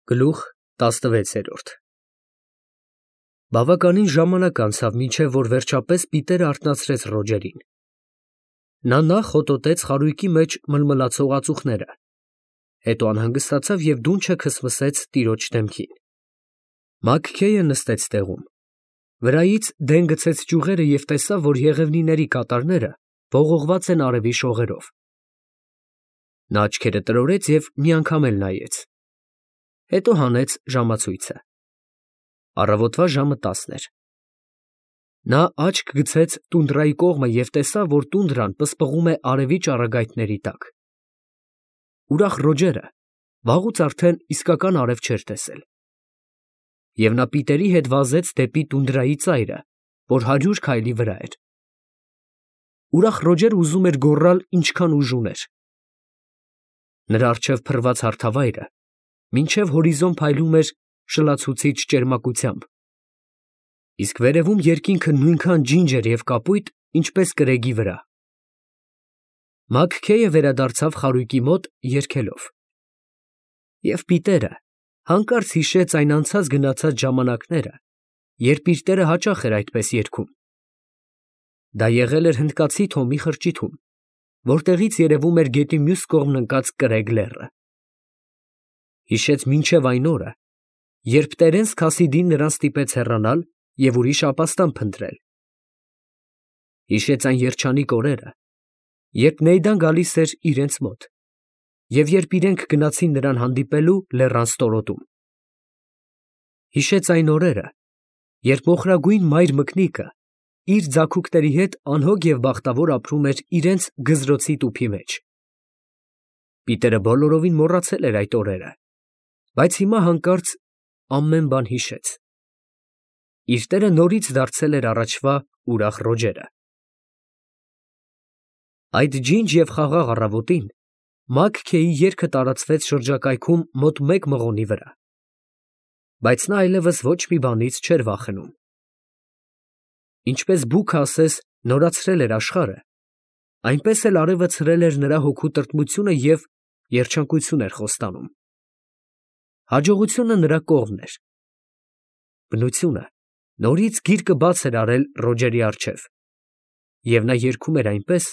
Գլուխ 16 Բավականին ժամանակ անցավ, մինչև որ վերջապես Պիտերը արթնացրեց Ռոջերին. նա նախ հոտոտեց խարույկի մեջ մլմլացող ածուխները, հետո անհանգստացավ և դունչը քսմսեց տիրոջ դեմքին. Մագքեյը նստեց տեղում, վրայից դեն գցեց ճյուղերը և տեսավ, որ եղևնիների կատարները ողողված են արևի շողերով. նա աչքերը տրորեց և մի անգամ էլ նայեց, հետո հանեց ժամացույցը. առավոտվա ժամը 10 էր. նա աչք գցեց տունդրայի կողմը և տեսավ, որ տունդրան պսպղում է արևի ճառագայթների տակ. ուրախ Ռոջերը վաղուց արդեն իսկական արև չէր տեսել, և նա Պիտերի հետ վազեց դեպի տունդրայի ծայրը, որ 100 քայլի վրա էր. ուրախ Ռոջերը ուզում էր գոռալ ինչքան ուժ ուներ. նրա առջև փռված հարթավայրը մինչև հորիզոն փայլում էր շլացուցիչ ճերմակությամբ, իսկ վերևում երկինքը նույնքան ջինջ էր և կապույտ, ինչպես կրեգի վրա. Մագքեյը վերադարձավ խարույկի մոտ երգելով, և Պիտերը հանկարծ հիշեց այն անցած գնացած ժամանակները, երբ իր տերը հաճախ էր այդպես երգում. դա եղել էր հնդկացի Թոմի խրճիթում, որտեղից երևում էր գետի մյուս կողմն ընկած կրեգ լեռը. հիշեց մինչև այն օրը, երբ Տերենս Քասիդին նրան ստիպեց հեռանալ և ուրիշ ապաստան փնտրել. հիշեց այն երջանիկ օրերը, երբ Նեյդան գալիս էր իրենց մոտ, և երբ իրենք գնացին նրան հանդիպելու լեռան ստորոտում. հիշեց այն օրերը, երբ մոխրագույն մայր մկնիկը իր ձագուկների հետ անհոգ և բախտավոր ապրում էր իրենց գզրոցի տուփի մեջ. Պիտերը բոլորովին մոռացել էր այդ օրերը, բայց հիմա հանկարծ ամեն բան հիշեց. իր տերը նորից դարձել էր առաջվա ուրախ Ռոջերը. այդ ջինջ և խաղաղ առավոտին Մագքեյի երգը տարածվեց շրջակայքում մոտ 1 մղոնի վրա, բայց նա այլևս ոչ մի բանից չէր վախենում. ինչպես բուքը ասես նորացրել էր աշխարհը, այնպես էլ արևը ցրել էր նրա հոգու տրտմությունը և երջանկություն էր խոստանում. հաջողությունը նրա կողմն էր. բնությունը նորից գիրկը բաց էր արել Ռոջերի առջև, և նա երգում էր այնպես,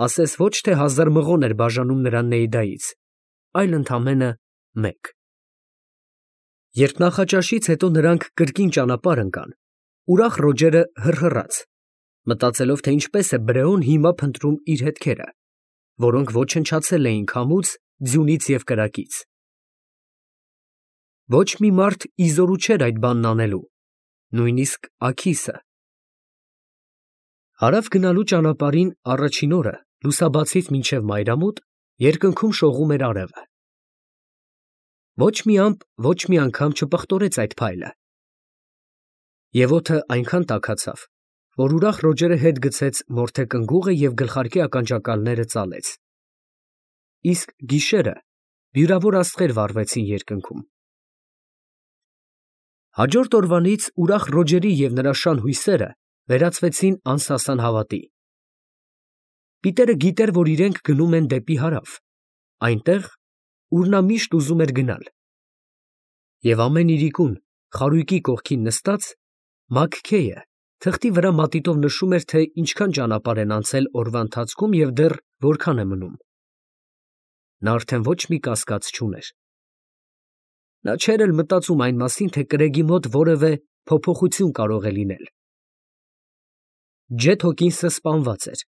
ասես ոչ թե 1000 մղոն էր բաժանում նրան Նեյդայից, այլ ընդամենը 1. Երբ նախաճաշից հետո նրանք կրկին ճանապարհ ընկան, ուրախ Ռոջերը հռհռաց, մտածելով, թե ինչպես է Բրեոն հիմա փնտրում իր հետքերը, որոնք ոչնչացել էին քամուց, ձյունից և կրակից. ոչ մի մարդ ի զորու չէր այդ բանն անելու, նույնիսկ Աքիսը. հարավ գնալու ճանապարհին առաջին օրը լուսաբացից մինչև մայրամուտ երկնքում շողում էր արևը. ոչ մի ամպ ոչ մի անգամ չպղտորեց այդ փայլը, և օդը այնքան տաքացավ, որ ուրախ Ռոջերը հետ գցեց մորթե կնգուղը և գլխարկի ականջակալները ծալեց, իսկ գիշերը բյուրավոր աստղեր վառվեցին երկնքում. հաջորդ օրվանից ուրախ Ռոջերի և նրա շան հույսերը վերածվեցին անսասան հավատի. Պիտերը գիտեր, որ իրենք գնում են դեպի հարավ, այնտեղ, ուր նա միշտ ուզում էր գնալ, և ամեն իրիկուն խարույկի կողքին նստած, Մագքեյը թղթի վրա մատիտով նշում էր, թե ինչքան ճանապարհ են անցել օրվա ընթացքում և դեռ որքան է մնում. նա արդեն ոչ մի կասկած չուներ. նա չէր էլ մտածում այն մասին, թե կրեգի մոտ որևէ փոփոխություն կարող է լինել. Ջեթ Հոքինսը սպանված էր,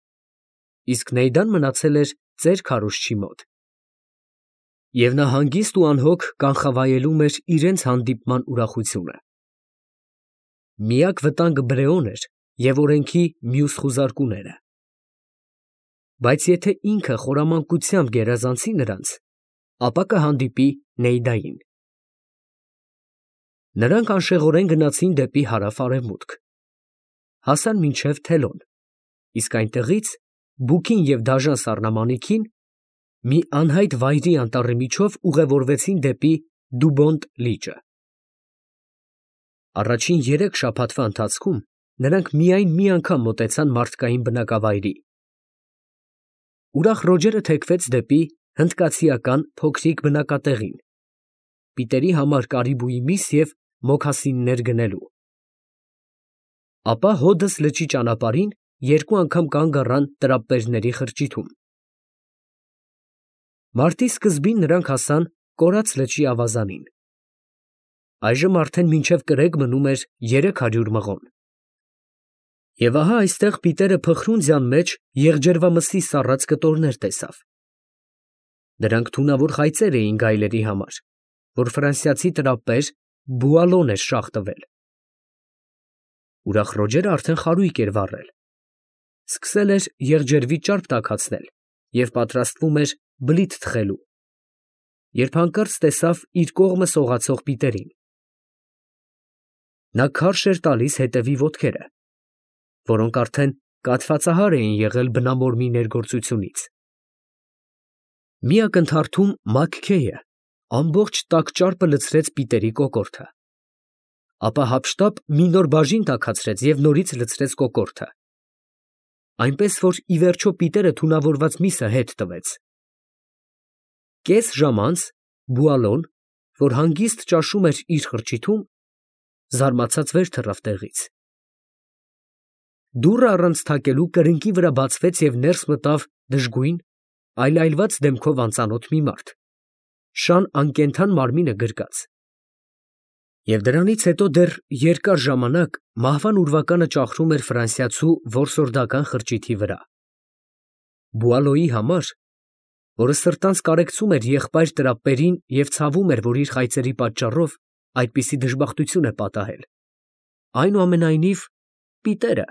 իսկ Նեյդան մնացել էր ծեր քարոզչի մոտ, և նա հանգիստ ու անհոգ կանխավայելում էր իրենց հանդիպման ուրախությունը. միակ վտանգը Բրեոն էր և օրենքի մյուս խուզարկուները, բայց եթե ինքը խորամանկությամբ գերազանցի նրանց, ապա կհանդիպի Նեյդային. նրանք անշեղորեն գնացին դեպի հարավ֊արևմուտք, հասան մինչև Թելոն, իսկ այնտեղից բուքին և դաժան սառնամանիքին մի անհայտ վայրի անտառի միջով ուղևորվեցին դեպի Դուբոնտ լիճը. առաջին 3 շաբաթվա ընթացքում նրանք միայն մի անգամ մոտեցան մարդկային բնակավայրի. ուրախ Ռոջերը թեքվեց դեպի հնդկացիական փոքրիկ բնակատեղին, Պիտերի համար կարիբուի միս և մոքասիններ գնելու։ Ապա հոդս լճի ճանապարհին երկու անգամ կանգ առան տրապպերների խրճիթում։ Մարտի սկզբին նրանք հասան Կորաց լճի ավազանին։ Այժմ արդեն մինչև կրեկ մնում էր 300 մղոն։ Եվ ահա այստեղ Պիտերը փխրունձյան մեջ եղջերվամսի սառած կտորներ տեսավ։ Դրանք թունավոր խայծեր էին գայլերի համար, որ ֆրանսիացի տրապպեր Բուալոն էր շաղ տվել։ Ուրախ Ռոջերը արդեն խարույկ էր վառել։ Սկսել էր եղջերվի ճարպ տաքացնել և պատրաստվում էր բլիթ թխելու, երբ հանկարծ տեսավ իր կողմը սողացող Պիտերին։ Նա քարշ էր տալիս հետևի ոտքերը, որոնք արդեն կաթվածահար էին եղել բնամորմի ներգործությունից։ Մի ակնթարթում Մաքքեյը ամբողջ տաք ճարպը լցրեց Պիտերի կոկորդը, ապա հափշտապ մի նոր բաժին տաքացրեց և նորից լցրեց կոկորդը, այնպես որ ի վերջո Պիտերը թունավորված միսը հետ տվեց։ Կես ժամ անց Բուալոն, որ հանգիստ ճաշում էր իր խրճիթում, զարմացած վեր թռավ տեղից։ Դուռը առանց թակելու կրկնակի վրա բացվեց և ներս մտավ դժգույն, այլայլված դեմքով անծանոթ մի մարդ, շան անկենդան մարմինը գրկած։ Եվ դրանից հետո դեռ երկար ժամանակ մահվան ուրվականը ճախրում էր ֆրանսիացու որսորդական խրճիթի վրա։ Բուալոյի համար, որը սրտանց կարեկցում էր եղբայր տրապպերին և ցավում էր, որ իր խայծերի պատճառով այդպիսի դժբախտություն է պատահել, այնուամենայնիվ Պիտերը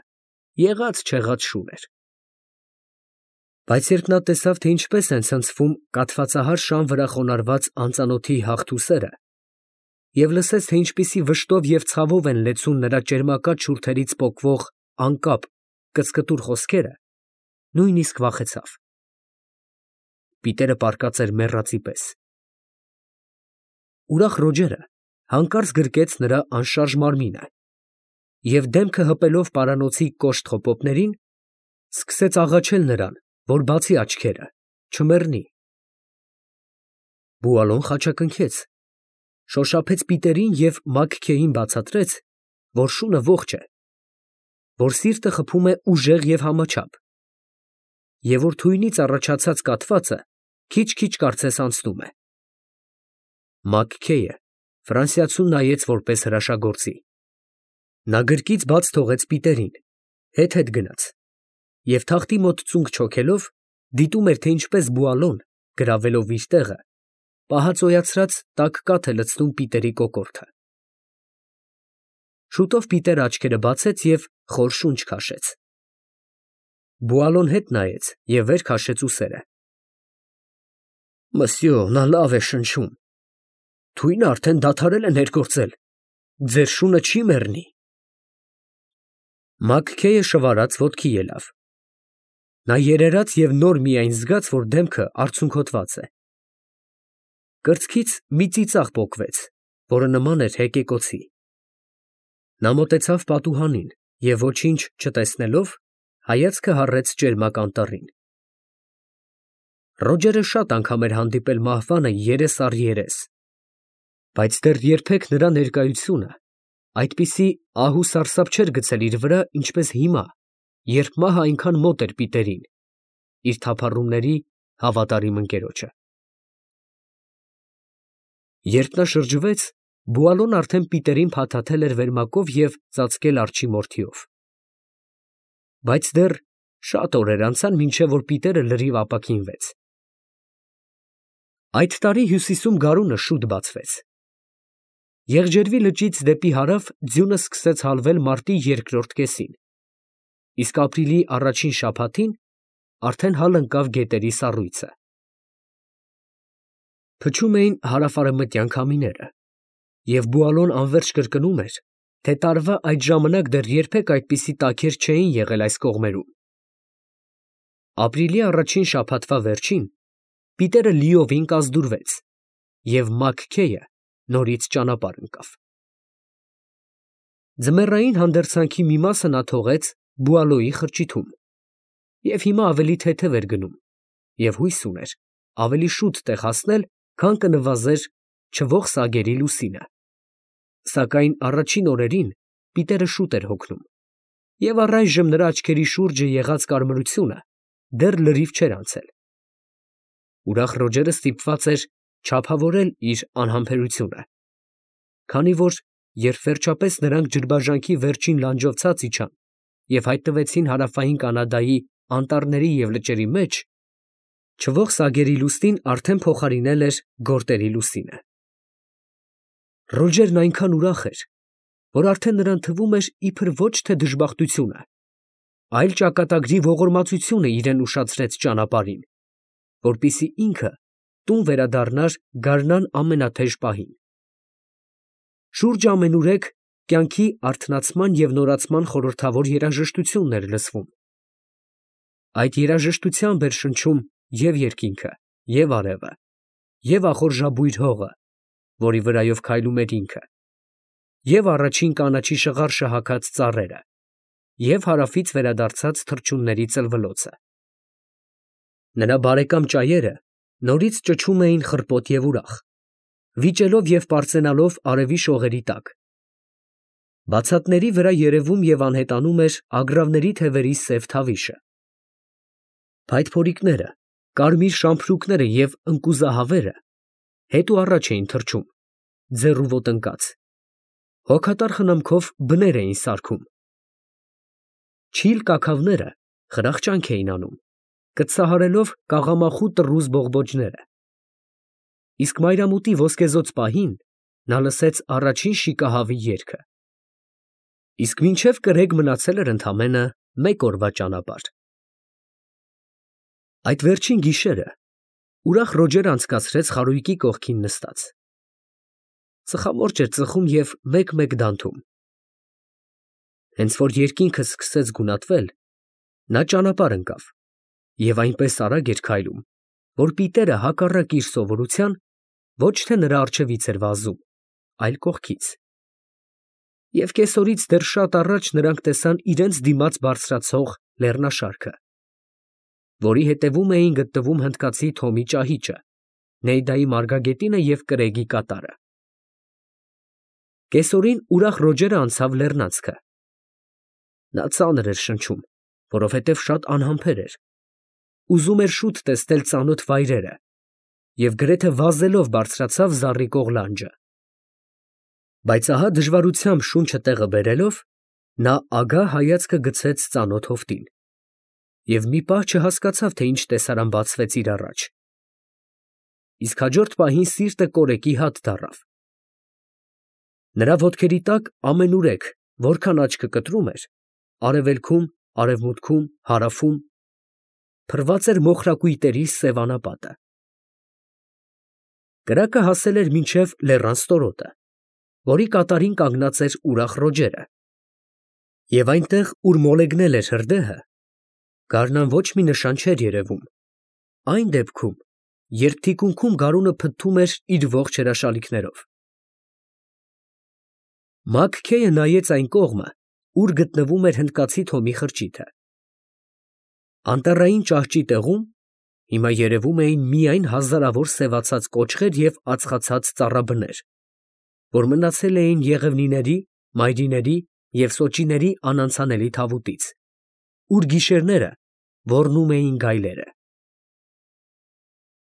եղած֊չեղած շուն էր։ Բայց երբ նա տեսավ, թե ինչպես են ցնցվում կաթվածահար շան վրա խոնարհված անծանոթի հագթուսերը, և լսեց, թե ինչպիսի վշտով և ցավով են լեցուն նրա ճերմակած շուրթերից պոկվող անկապ, կծկտուր խոսքերը, նույնիսկ վախեցավ։ Պիտերը պառկած էր մեռածի պես։ Ուրախ Ռոջերը հանկարծ գրկեց նրա անշարժ մարմինը և դեմքը հպելով պարանոցի կոշտ խոպոպներին, սկսեց աղաչել նրան, որ բացի աչքերը, չմեռնի։ Բուալոն խաչակնքեց, շոշափեց Պիտերին և Մաքքեյին բացատրեց, որ շունը ողջ է, որ սիրտը խփում է ուժեղ և համաչափ, և որ թույնից առաջացած կաթվածը քիչ֊քիչ կարծես անցնում է։ Մաքքեյը ֆրանսիացուն նայեց որպես հրաշագործի։ Նա գրկից բաց թողեց Պիտերին, հետ գնաց և թղթի մոտ ծունկ չոքելով դիտում էր, թե ինչպես Բուալոն, գրավելով իր տեղը, պահածոյացրած տաք կաթ է լցնում Պիտերի կոկորդը։ Շուտով Պիտերը աչքերը բացեց և խոր շունչ քաշեց։ Բուալոն հետ նայեց և վեր քաշեց ուսերը։ Մսյո, նա լավ է շնչում։ Թույնը արդեն դադարել է ներգործել, ձեր շունը չի մեռնի։ Մաքքեյը շվարած ոտքի ելավ։ Նա երերաց և նոր միայն զգաց, որ դեմքը արցունքոտված է։ Կրծքից մի ծիծաղ պոկվեց, որը նման էր հեկեկոցի։ Նա մոտեցավ պատուհանին և ոչինչ չտեսնելով, հայացքը հառեց ճերմակ անտառին։ Ռոջերը շատ անգամ էր հանդիպել մահվանը երես առ երես, բայց դեռ երբեք նրա ներկայությունը այդպիսի ահ ու սարսափ չէր գցել իր վրա, ինչպես հիմա, երբ մահը այնքան մոտ էր Պիտերին, իր թափառումների հավատարիմ ընկերոջը։ Երբ նա շրջվեց, Բուալոն արդեն Պիտերին փաթաթել էր վերմակով և ծածկել արջի մորթիով։ Բայց դեռ շատ օրեր անցան, մինչև որ Պիտերը լրիվ ապաքինվեց։ Այդ տարի հյուսիսում գարունը շուտ բացվեց։ Եղջերվի լճից դեպի հարավ ձյունը սկսեց հալվել մարտի երկրորդ կեսին, իսկ ապրիլի առաջին շաբաթին արդեն հալ ընկավ գետերի սառույցը։ Փչում էին հարավ֊արևմտյան քամիները, և Բուալոն անվերջ կրկնում էր, թե տարվա այդ ժամանակ դեռ երբեք այդպիսի տաքեր չէին եղել այս կողմերում։ Ապրիլի առաջին շաբաթվա վերջին Պիտերը լիովին կազդուրվեց, և Մաքքեյը նորից ճանապարհ ընկավ։ Ձմեռային հանդերձանքի մի մասը նա թողեց Բուալոյի խրճիթում, և հիմա ավելի թեթև էր գնում, և հույս ուներ ավելի շուտ տեղ հասնել, քան կնվազեր չվող սագերի լուսինը։ Սակայն առաջին օրերին Պիտերը շուտ էր հոգնում, և առայժմ նրա աչքերի շուրջը եղած կարմրությունը դեռ լրիվ չէր անցել։ Ուրախ Ռոջերը ստիպված էր չափավորել իր անհամբերությունը, քանի որ երբ վերջապես նրանք ջրբաժանքի վերջին լանջով ցած իջան և հայտնվեցին հարավային Կանադայի անտառների և լճերի մեջ, չվող սագերի լուսնին արդեն փոխարինել էր գորտերի լուսինը։ Ռոջերն այնքան ուրախ էր, որ արդեն նրան թվում էր, իբր ոչ թե դժբախտությունը, այլ ճակատագրի ողորմածությունը իրան ուշացրեց ճանապարհին, որպեսզի ինքը տուն վերադառնար գարնան ամենաթեժ պահին։ Շուրջը ամենուրեք կյանքի արթնացման և նորացման խորհրդավոր երաժշտությունն էր լսվում։ Այդ երաժշտությամբ էր շնչում և երկինքը, և արևը, և ախորժաբույր հողը, որի վրայով քայլում էր ինքը, և առաջին կանաչի շղարշը հագած ծառերը, և հարավից վերադարձած թռչունների ծլվլոցը։ Նրա բարեկամ ճայերը նորից ճչում էին խռպոտ և ուրախ, վիճելով և պարծենալով արևի շողերի տակ։ Բացատների վրա երևում և անհետանում էր ագռավների թևերի սև թավիշը։ Փայտփորիկները, կարմիր շամփրուկները և ընկուզահավերը հետուառաջ էին թռչում, ձեռու ոտնկած, հոգատար խնամքով բներ էին սարքում։ Չիլ կաքավները խրախճանք էին անում, կծծահարելով կաղամախու տռուզ բողբոջները, իսկ մայրամուտի ոսկեզօծ պահին նա լսեց առաջին շիկահավի երգը։ Իսկ մինչև կրեկ մնացել էր ընդամենը մեկ օրվա ճանապարհ։ Այդ վերջին գիշերը ուրախ Ռոջերը անցկացրեց խարույկի կողքին նստած։ Ծխամորճ էր ծխում և մեկ֊մեկ դանթում։ Հենց որ երկինքը սկսեց գունատվել, նա ճանապարհ ընկավ և այնպես արագ էր քայլում, որ Պիտերը հակառակ իր սովորության ոչ թե նրա առջևից էր վազում, այլ կողքից։ Եվ կեսօրից դեռ շատ առաջ նրանք տեսան իրենց դիմաց բարձրացող լեռնաշարքը, որի հետևում էին գտնվում հնդկացի Թոմի ճահիճը, Նեյդայի մարգագետինը և կրեգի կատարը։ Կեսօրին ուրախ Ռոջերը անցավ լեռնանցքը։ Նա ծանր էր շնչում, որովհետև շատ անհամբեր էր, ուզում էր շուտ տեսնել ծանոթ վայրերը և գրեթե վազելով բարձրացավ զառիկող լանջը։ Բայց ահա դժվարությամբ շունչը տեղը բերելով, նա ագահ հայացքը գցեց ծանոթ հովտին և մի պահ չհասկացավ, թե ինչ տեսարան բացվեց իր առաջ, իսկ հաջորդ պահին սիրտը կորեկի հատ դառավ։ Նրա ոտքերի տակ ամենուրեք, որքան աչքը կտրում էր, արևելքում, արևմուտքում, հարավում, փռված էր մոխրակույտերի սև անապատը։ Կրակը հասել էր մինչև լեռան ստորոտը, որի կատարին կանգնած էր ուրախ Ռոջերը, և այնտեղ, ուր մոլեգնել էր հրդեհը, գարնան ոչ մի նշան չէր երևում, այն դեպքում, երբ թիկունքում գարունը փթթում էր իր ողջ հրաշալիքներով։ Մաքքեյը նայեց այն կողմը, ուր գտնվում էր հնդկացի Թոմի խրճիթը։ Անտառային ճահճի տեղում հիմա երևում էին միայն հազարավոր սևացած կոճղեր և ածխացած ծառաբներ, որ մնացել էին եղևնիների, մայրիների և սոճիների անանցանելի թավուտից, ուր գիշերները ոռնում էին գայլերը։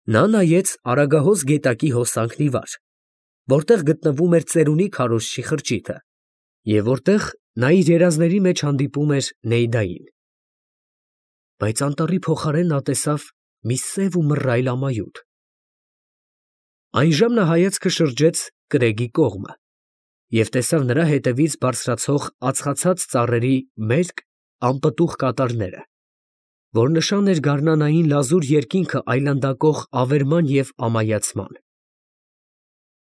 Նա նայեց Արագահոս գետակի հոսանքն ի վար, որտեղ գտնվում էր ծերունի քարոզչի խրճիթը, և որտեղ նա իր երազների մեջ հանդիպում էր Նեյդային։ Բայց անտառի փոխարեն նա տեսավ մի սև ու մռայլ ամայութ։ Այնժամ նա հայացքը շրջեց կրեգի կողմը և տեսավ նրա հետևից բարձրացող ածխացած ծառերի մերկ, անպտուղ կատարները, որ նշան էր գարնանային լազուր երկինքը այլանդակող ավերման և ամայացման։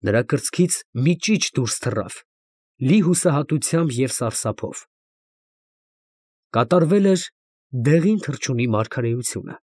Նրա կրծքից մի ճիչ դուրս թռավ, լի հուսահատությամբ և սարսափով։ Կատարվել էր դեղին թռչունի մարգարեությունը։